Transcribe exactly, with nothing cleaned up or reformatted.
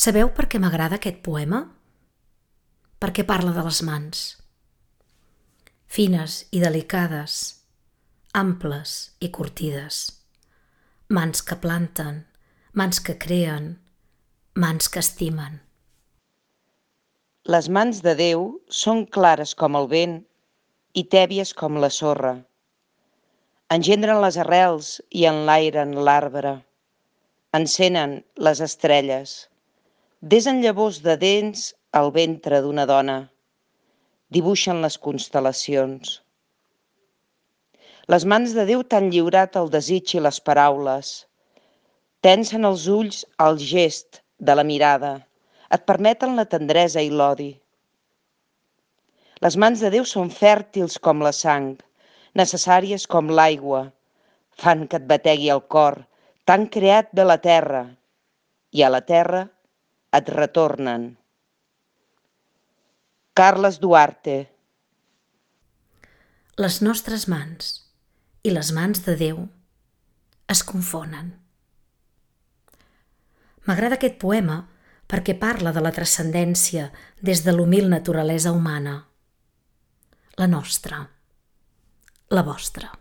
Sabeu per què m'agrada aquest poema? Perquè parla de les mans. Fines i delicades, amples i curtides. Mans que planten, mans que creen, mans que estimen. Les mans de Déu són clares com el vent i tèbies com la sorra. Engendren les arrels i enlairen l'arbre. Encenen les estrelles. Desen llavors de dents al ventre d'una dona. Dibuixen les constel·lacions. Les mans de Déu t'han lliurat el desig i les paraules. Tensen els ulls al gest de la mirada. Et permeten la tendresa i l'odi. Les mans de Déu són fèrtils com la sang, necessàries com l'aigua. Fan que et bategui el cor, t'han creat de la terra, i a la terra et retornen. Carles Duarte. Les nostres mans i les mans de Déu es confonen. M'agrada aquest poema perquè parla de la transcendència des de l'humil naturalesa humana. La nostra, la vostra.